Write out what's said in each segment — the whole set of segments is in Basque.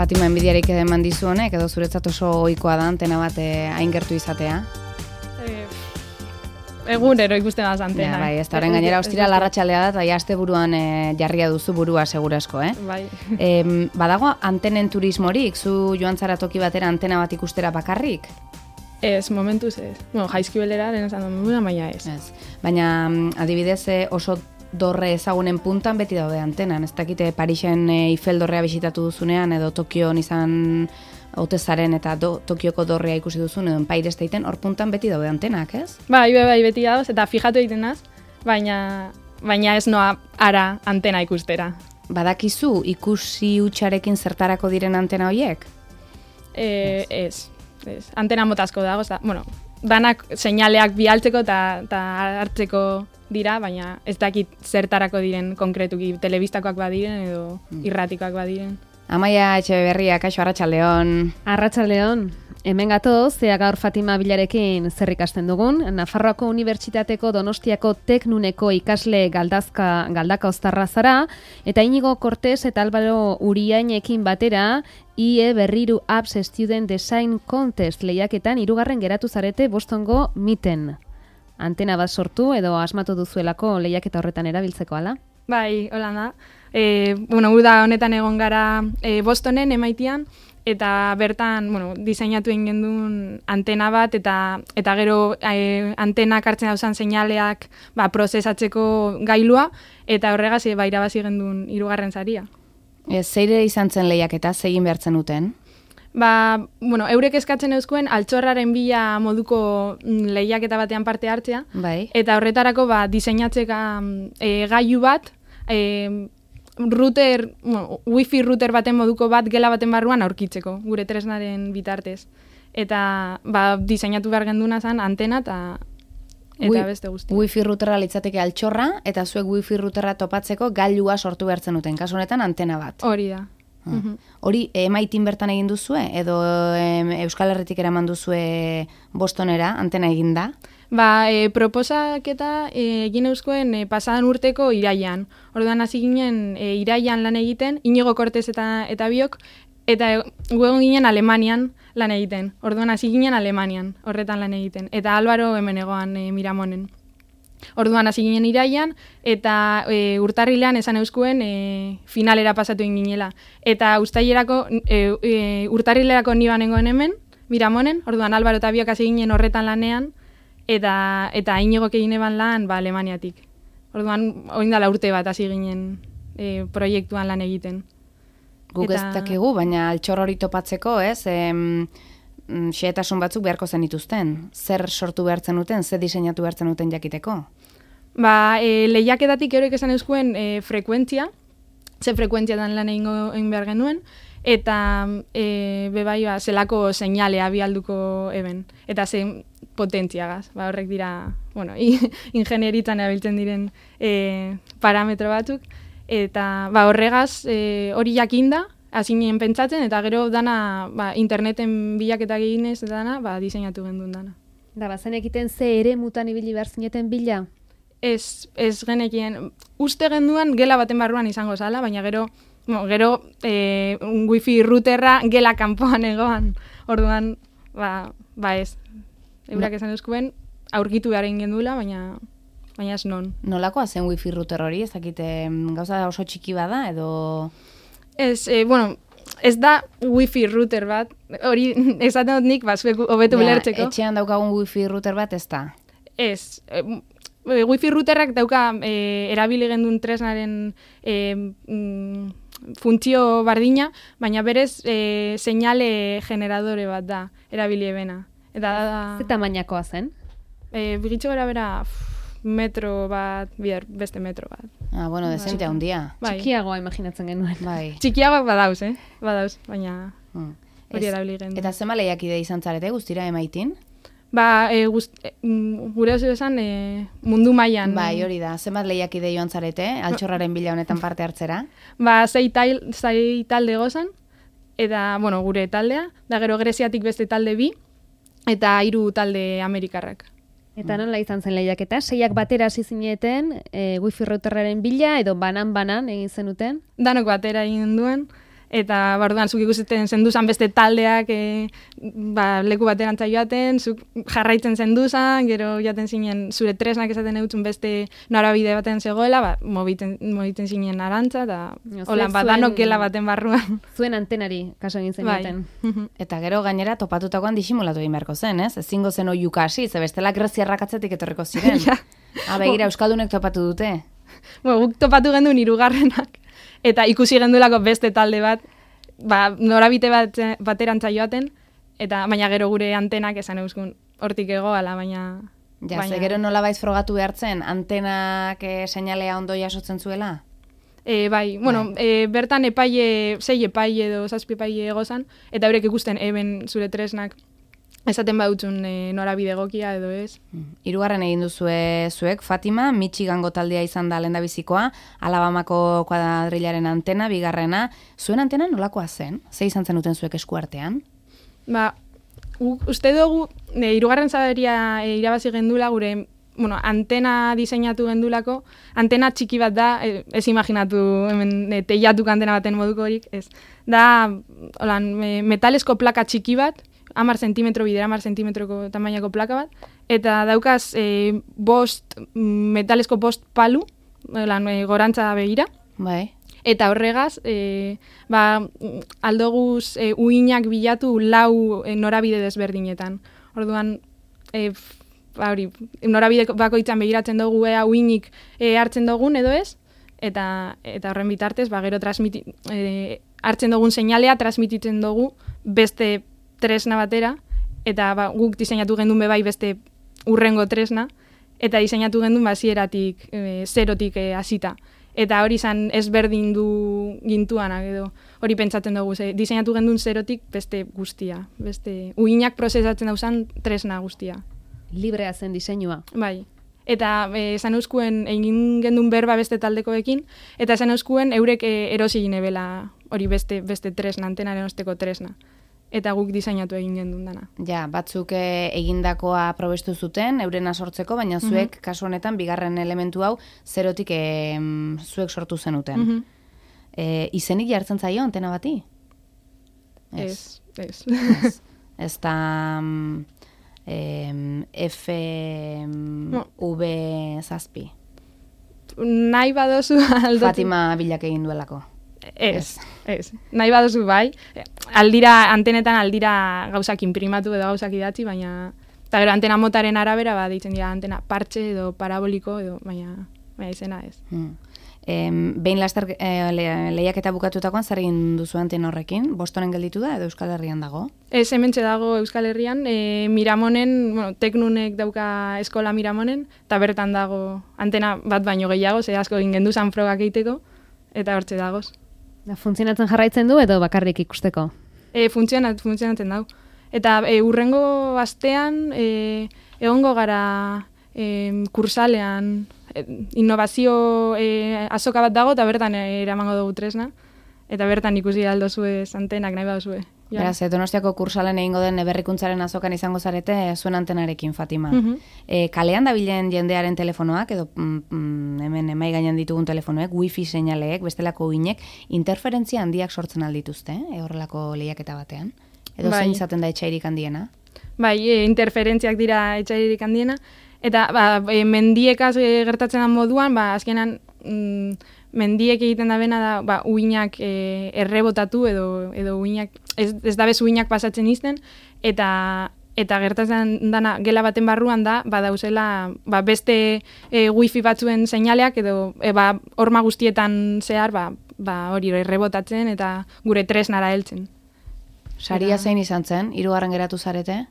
Fatima enbidiarik eman dizu honek, edo zuretzat oso ohikoa da antena bat hain gertu izatea? Egunero ikustenaz antena. Bai, ez da horren gainera ostira larratxaldea da, eta aste buruan jarria duzu burua segurasko, Bai. Badago antenen turismorik, zu joan zara toki batera antena bat ikustera bakarrik? Ez, momentuz ez. Bueno, jaizkibelera, lehen esan dut, baina ez. Baina adibidez oso dorre ezagunen puntan beti daude antenan. Ez dakite Parisen Eiffel dorrea bisitatu duzunean, edo Tokion izan Otezaren eta Tokioko dorrea ikusi duzun, edo Empire Stateen, hor puntan beti daude antenak, ez? Bai, beti dauz, eta fijatu egiten naz, baina ez noa ara antena ikustera. Badakizu ikusi hutsarekin zertarako diren antena horiek? Ez. Antena motazko dago, danak seinaleak bialtzeko eta hartzeko dira, baina ez dakit zertarako diren konkretuki, telebistakoak badiren edo irratikoak badiren. Amaia Etxeberria, kaixo, arratsaldeon. Arratsaldeon. Hemen gatoz, zea gaur Fatima Bilarekin zer ikasten dugun. Nafarroako Unibertsitateko Donostiako Teknuneko ikasle galdaka oztarra zara, eta Inigo Cortés eta Álvaro Uriainekin batera, IE Berriru Apps Student Design Contest lehiaketan 3. geratu zarete Bostongo Miten. Antena bat sortu edo asmatu duzuelako lehiaketa horretan erabiltzeko, ala? Bai, hola da. Uda honetan egon gara Bostonen, MIT-an, eta bertan, diseinatu egin gendun antena bat, eta gero antenak hartzen dauzan seinaleak prozesatzeko gailua, eta horregaz irabazi gendun 3. saria. Zeire izan zen lehiaketa, zegin behartzen duten? Eurek eskatzen euskuen altxorraren bila moduko lehiaketa batean parte hartzea, bai. Eta horretarako diseinatzeka gailu bat, wifi router baten moduko bat gela baten barruan aurkitzeko, gure tresnaren bitartez. Eta diseinatu behar genduna zen antena eta beste guzti. Wifi routerra litzateke altxorra, eta zuek wifi routerra topatzeko gailua sortu behartzen duten, kasu honetan antena bat. Hori da. Hori MIT-n bertan egin duzue, edo Euskal Herritik eraman duzue Bostonera, antena eginda? Proposaketa egin euskuen pasadan urteko iraian. Orduan hasi ginen iraian lan egiten, Inigo Cortés eta biok, eta guegon ginen Alemanian lan egiten. Orduan hasi ginen Alemanian, horretan lan egiten. Eta Álvaro hemen egoan Miramonen. Orduan hasi ginen iraian, eta urtarrilean esan euskuen finalera pasatu egin ginela. Eta urtarrilerako ni banengoen hemen, Miramonen, orduan Álvaro eta biok hasi ginen horretan lanean, eta Inigok egin eban lan Alemaniatik. Orduan, oindala urte bat hasi ginen proiektuan lan egiten. Guk ez dakigu, baina altxor hori topatzeko, ez? Xehetasun batzuk beharko zenituzten. Zer sortu behartzen duten, zer diseinatu behartzen duten jakiteko? Lehiaketatik eurek esan euskuen frekuentzia, ze frekuentziatan lan egin behar genuen, eta zelako seinalea bialduko eben, eta ze potentziagaz. Horrek dira, ingenieritzan erabiltzen diren parametro batzuk, eta horregaz hori jakinda, hasi nien pentsatzen, eta gero dana interneten bilaketa eginez eta dana diseinatu gendun dana. Da, bazen egiten ze ere mutan ibili behar zineten bila? Ez genekien, uste genduan gela baten barruan izango zala, baina gero wifi routerra gela kanpoan egoan. Orduan, ez. Eurak esan euskuen, aurkitu behar egin gendula, baina ez non. Nolakoa zen wifi router hori? Ez dakite gauza oso txiki bada, edo... Ez da wifi router bat, hori esaten dut nik, zuek hobetu bilertzeko. Etxean daukagun wifi router bat ez da? Ez, wifi routerrak dauka erabili gendun tresnaren funtzio bardina, baina berez seinale generadore bat da, erabili ebena. Ze tamainakoa zen? Bigitxo gara bera metro bat, beste metro bat. Dezente handia. Txikiagoa imaginatzen genuen. Txikiagoak badauz, baina hori erabili gendun. Eta zema lehiakide izan zarete guztira MIT-n? Gure oso esan mundu mailan. Hori da. Zenbat lehiakide joan zarete, altxorraren bila honetan parte hartzera? 6 talde gozan, eta, gure taldea, da gero Greziatik beste talde 2, eta 3 talde amerikarrak. Eta nola izan zen lehiaketa? 6ak batera hasi zineten, wifi routerraren bila, edo banan egin zenuten? Danok batera egin duen, eta barduan zuk ikusten zenduzan beste taldeak leku baterantza joaten, zuk jarraitzen zenduzan, gero jaten zinen zure tresnak esaten eutzun beste norabide baten zegoela, mobiten zinen arantza, eta hola, danok gela baten barruan. Zuen antenari kaso egin zenuten. Eta gero gainera topatutakoan disimulatu egin beharko zen, ez? Ezingo zen oiuka hasi, ze bestela greziarrak atzetik etorriko ziren. Begira, euskaldunek topatu dute. Guk topatu gendun 3. Eta ikusi gendulako beste talde bat, norabite baterantza joaten, eta baina gero gure antenak esan euskun hortik egoala, baina... Ze gero nolabait frogatu behartzen, antenak seinalea ondo jasotzen zuela? Bertan 6 epaile edo 7 epaile egozan, eta horrek ikusten eben zure tresnak esaten badutzun norabide egokia edo ez. 3. egin duzue zuek, Fatima, Michigango taldea izan da lehendabizikoa, Alabamako kuadrilaren antena, 2. Zuen antena nolakoa zen? Ze izan zen duten zuek eskuartean? Uste dugu, 3. sabaria irabazi gendula gure antena diseinatu gendulako, antena txiki bat da, ez imaginatu hemen teiatuk antena baten moduko horik, ez. Da, metalesko plaka txiki bat, 10 zentimetro bidera, 10 zentimetroko tamainako plaka bat, eta daukaz metalesko 5 palu, gorantza begira. Bai. Eta horregaz, aldoguz uinak bilatu 4 norabide desberdinetan. Orduan, norabide bakoitzan begiratzen dugu uinik hartzen dugun edo ez, eta horren bitartez, gero hartzen dugun seinalea transmititzen dugu beste tresna batera, eta guk diseinatu gendun bebai beste urrengo tresna, eta diseinatu gendun zieratik, zerotik hasita. Eta hori izan ezberdin du gintuanak edo hori pentsatzen dugu, diseinatu gendun zerotik beste guztia, beste uinak prozesatzen dauzan tresna guztia. Librea zen diseinua. Bai. Eta esan euskuen egin gendun berba beste taldekoekin, eta esan euskuen eurek erosi ginebela hori beste tresna, antenaren osteko tresna. Eta guk diseinatu egin gendun dana. Ja, batzuk egindakoa probestu zuten, eurena sortzeko, baina zuek, kasu honetan, 2. elementu hau, zerotik zuek sortu zenuten. Izenik jartzen zaio antena bati? Ez. Ez da FV7. Nahi badozu aldotu. Fatima bilak egin duelako. Ez. Nahi badozu bai. Antenetan aldira gauzak inprimatu edo gauzak idatzi, baina... Eta gero antena motaren arabera, deitzen dira antena partxe edo paraboliko, edo baina izena ez. Behin laster lehiaketa bukatutakoan zer egin duzu antena horrekin? Bostonen gelditu da edo Euskal Herrian dago? Ez, hementxe dago Euskal Herrian. Miramonen, Teknunek dauka eskola Miramonen, eta bertan dago antena bat baino gehiago, ze asko egin genduzan frogak egiteko, eta hortxe dagoz. Funtzionatzen jarraitzen du edo bakarrik ikusteko? Funtzionatzen dau. Eta urrengo astean egongo gara kursalean innovazio azoka bat dago eta bertan eramango dugu tresna. Eta bertan ikusi aldozue antenak nahi baduzue. Beraz, Donostiako kursalen egingo den berrikuntzaren azokan izango zarete zuen antenarekin, Fatima. Kalean dabilen jendearen telefonoak, edo hemen emai gainean ditugun telefonoek, wifi seinaleek, bestelako uinek, interferentzia handiak sortzen aldituzte, horrelako lehiaketa batean? Edo zein izaten da etxairik handiena? Bai, interferentziak dira etxairik handiena, eta mendiekaz gertatzen den moduan, azkenan mendiek egiten da bena da uinak errebotatu edo uinak, ez da bez uinak pasatzen izten, eta gertatzen dana gela baten barruan da, dauzela beste wifi batzuen seinaleak edo horma guztietan zehar hori errebotatzen eta gure tresnara heltzen. Saria zein izan zen? 3. geratu zarete?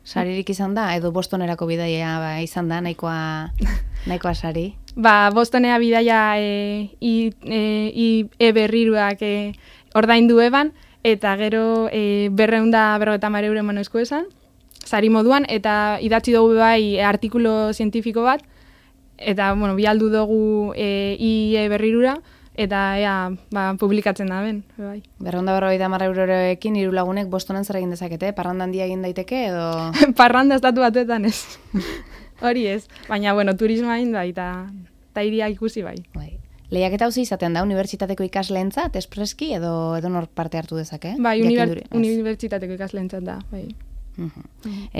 Saririk izan da? Edo Bostonerako bidaia izan da, nahikoa sari? Bostonea bidaia berriruak ordaindu eban, eta gero 250 euro eman eusko esan, sari moduan, eta idatzi dugu bai artikulo zientifiko bat, eta bialdu dugu berrirura, eta publikatzen da ben. 250 eurorekin 3 lagunek Bostonen zer egin dezakete? Parranda handia egin daiteke edo? Parranda estatu batuetan ez. Hori ez. Baina, turismoa egin da, eta iria ikusi bai. Lehiaketa hau izaten da unibertsitateko ikasleentzat espreski edo nor parte hartu dezake? Bai, unibertsitateko ikasleentzat da, bai.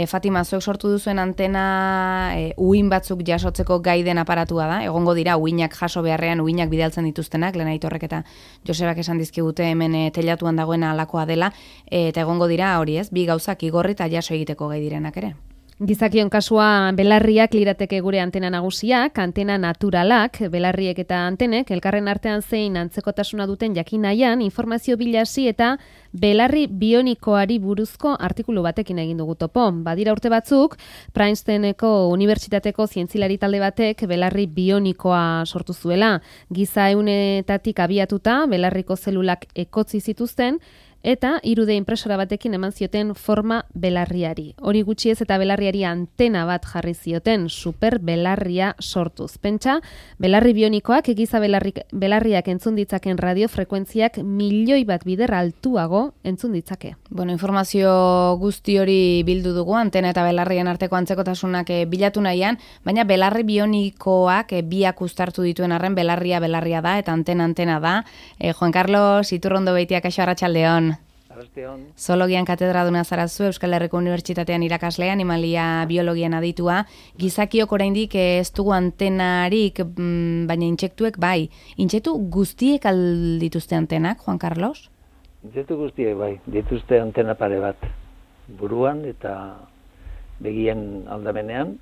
Fatima, zuek sortu duzuen antena uhin batzuk jasotzeko gai den aparatua da. Egongo dira uhinak jaso beharrean uhinak bidaltzen dituztenak, Lena Aitorrek eta Josebak esan dizkigute hemen teilatuan dagoena alakoa dela, eta egongo dira hori ez, bi gauzak igorri eta jaso egiteko gai direnak ere. Gizakion kasua belarriak lirateke gure antena nagusiak, antena naturalak, belarriek eta antenek, elkarren artean zein antzekotasuna duten jakin nahian, informazio bilasi eta belarri bionikoari buruzko artikulu batekin egin dugu topo. Badira urte batzuk, Princetoneko Unibertsitateko zientzilari talde batek belarri bionikoa sortu zuela. Giza ehunetatik abiatuta, belarriko zelulak ekotzi zituzten, eta 3D impresora batekin eman zioten forma belarriari. Hori gutxi ez eta belarriari antena bat jarri zioten, super belarria sortuz. Pentsa, belarri bionikoak egiza belarriak entzun ditzaken radiofrekuentziak 1.000.000 bat bider altuago entzun ditzake. Bueno, informazio guzti hori bildu dugu, antena eta belarrien arteko antzekotasunak bilatu nahian, baina belarri bionikoak biak uztartu dituen arren belarria da eta antena da. Juan Carlos Iturrondo Beitiak, kaixo, arratsaldeon. Zoologian katedraduna zarazu, Euskal Herriko Unibertsitatean irakaslean, animalia biologian aditua. Gizakiok oraindik ez dugu antenarik, baina intsektuek bai. Intsektu guztiek aldituzte antenak, Juan Carlos? Intsektu guztiek bai, dituzte antena pare bat. Buruan eta begien aldamenean,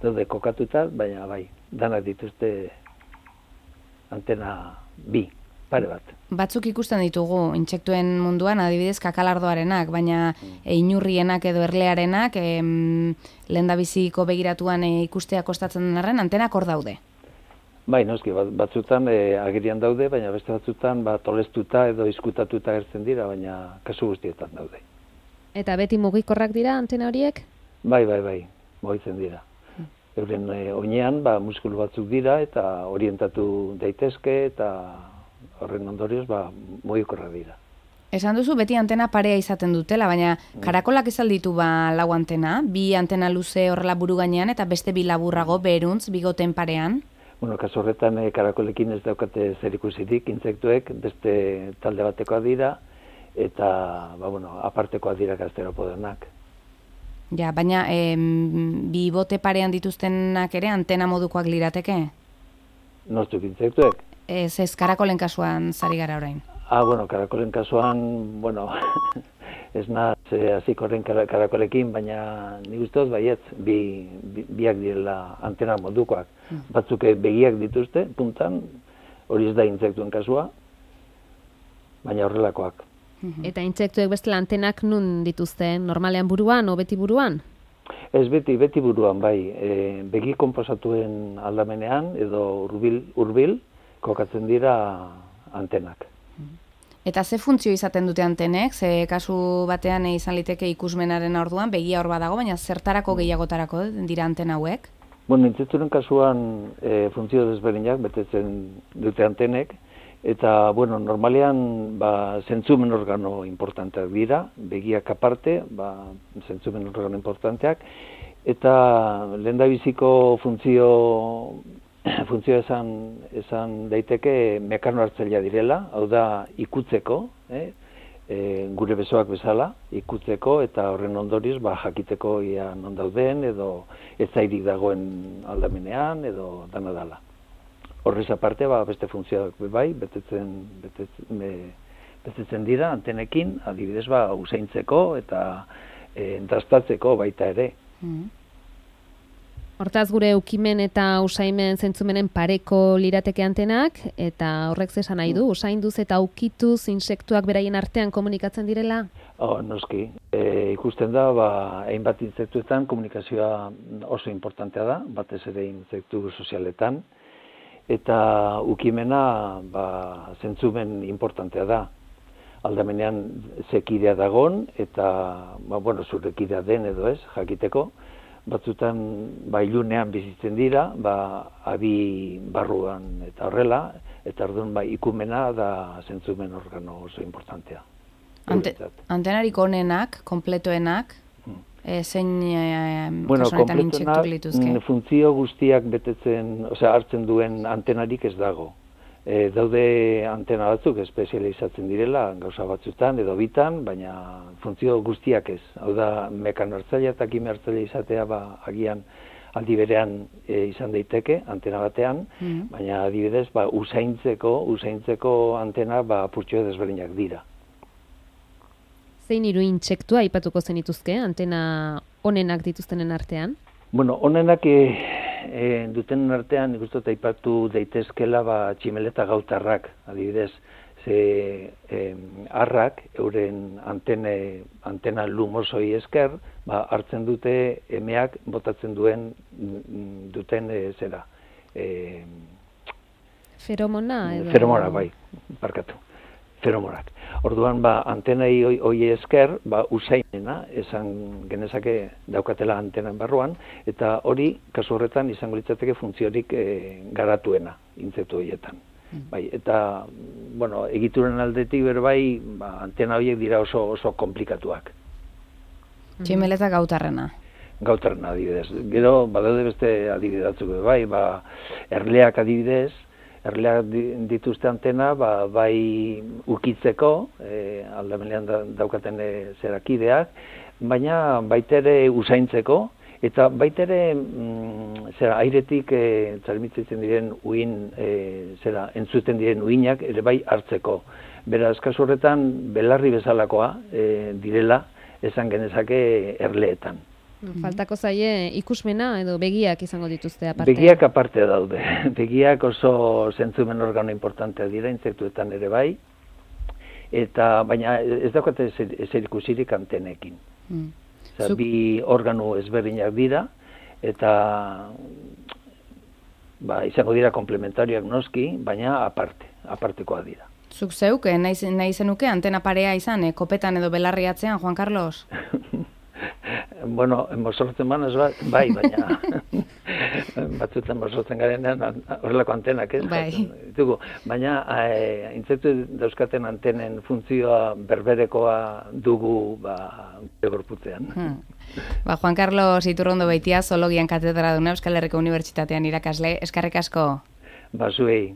daude kokatuta, baina bai, danak dituzte antena bi. Pare bat. Batzuk ikusten ditugu intsektuen munduan, adibidez kakalardoarenak, baina inurrienak edo erlearenak lehendabiziko begiratuan ikustea kostatzen den arren, antenak hor daude. Bai, noski, batzutan agerian daude, baina beste batzutan tolestuta edo izkutatuta agertzen dira, baina kasu guztietan daude. Eta beti mugikorrak dira antena horiek? Bai, mugitzen dira. Euren oinean muskulu batzuk dira eta orientatu daitezke eta horren ondorioz, mugikorrak dira. Esan duzu beti antena parea izaten dutela, baina karakolak ez alditu lau antena, bi antena luze horrela buru gainean eta beste bi laburrago beruntz, bigoten parean? Bueno, kasu horretan karakolekin ez daukate zer ikusirik, intsektuek beste talde batekoa dira eta apartekoa dira gasteropodenak. Ja, baina bi bote parean dituztenak ere antena modukoak lirateke? Nortzuk intsektuek? Ez karakolen kasuan zari gara orain. Karakolen kasuan, ez naz hasiko horren karakolekin, baina nik uste dut baietz, biak direla antena modukoak. Batzuk begiak dituzte, puntan, hori ez da intsektuen kasua, baina horrelakoak. Eta intsektuek bestela antenak nun dituzte, normalean buruan o beti buruan? Ez beti buruan, bai. Begi konposatuen aldamenean edo hurbil kokatzen dira antenak. Eta ze funtzio izaten dute antenek? Ze kasu batean izan liteke ikusmenaren orduan, begia hor badago, baina zertarako gehiagotarako dira antena hauek? Intsekturen kasuan funtzio desberdinak betetzen dute antenek, eta normalean zentzumen organo importanteak dira, begiak aparte, zentzumen organo importanteak, eta lehendabiziko funtzioa esan daiteke mekano hartzailea direla, hau da ikutzeko, gure besoak bezala, ikutzeko eta horren ondorioz jakiteko ia non dauden edo ez zairik dagoen aldamenean edo dana dala. Horrez aparte, beste funtzioak bai, betetzen dira antenekin, adibidez usaintzeko eta dastatzeko baita ere. Hortaz gure ukimen eta usaimen zentzumenen pareko lirateke antenak, eta horrek zesan nahi du, usainduz eta ukituz insektuak beraien artean komunikatzen direla? Noski, ikusten da, hainbat insektuetan komunikazioa oso importantea da, batez ere insektu sozialetan, eta ukimena zentzumen importantea da. Aldamenean zekidea dagon, eta zure kidea den edo ez, jakiteko, batzutan ilunean bizitzen dira, abi barruan eta horrela, eta orduan ikumena da zentzumen organo oso importantea. Antenarik onenak, konpletoenak? zein Bueno, kasuanetan intsektu lituzke? Funtzio guztiak betetzen, hartzen duen antenarik ez dago. Daude antena batzuk espezializatzen direla, gauza batzutan edo bitan, baina funtzio guztiak ez. Hau da, mekano hartzailea eta kime hartzailea izatea, agian aldi berean izan daiteke, antena batean, baina adibidez, usaintzeko antena apurtxo desberdinak dira. Zein hiru intsektua aipatuko zenituzke, antena onenak dituztenen artean? Bueno, onenak duten artean, ikustot aipatu daitezkela tximeleta gautarrak, adibidez, ze arrak, euren antena lumosoi esker, hartzen dute emeak botatzen duten zera. Feromona edo? Feromona, bai, barkatu. Feromonak. Orduan, antenai hoi esker, usainena, esan genezake daukatela antenan barruan, eta hori, kasu horretan, izango litzateke funtziorik garatuena, intsektu horietan. Bai, eta, bueno, egituren aldetik berbai, antena horiek dira oso komplikatuak. Tximeleta gautarrena. Gautarrena, adibidez. Gero, badaude beste adibidatzuk, bai, erleak adibidez, erleak dituzte antena, bai ukitzeko, aldamenean daukaten zerakideak, baina baitere usaintzeko, eta baitere airetik transmititzen diren entzuten diren uinak ere bai hartzeko. Beraz, kasu horretan, belarri bezalakoa direla, esan genezake erleetan. Faltako zaie ikusmena edo begiak izango dituzte aparte? Begiak aparte daude. Begiak oso zentzumen organo importantea dira, intsektuetan ere bai, baina ez daukate ezer ikusirik antenekin. Bi organo ezberdinak dira, eta izango dira komplementarioak noski, baina apartekoa dira. Zuk zeuk, nahi zenuke antena parea izan, kopetan edo belarri atzean, Juan Carlos? Bueno, mozortzen banaz bai, baina batzutan mozortzen garenean horrelako antenak, ez? Bai. Baina intsektu dauzkaten antenen funtzioa berberekoa dugu gorputzean. Juan Carlos Iturrondo Beitia, zoologian katedraduna Euskal Herriko Unibertsitatean irakasle, eskerrik asko. Zuei.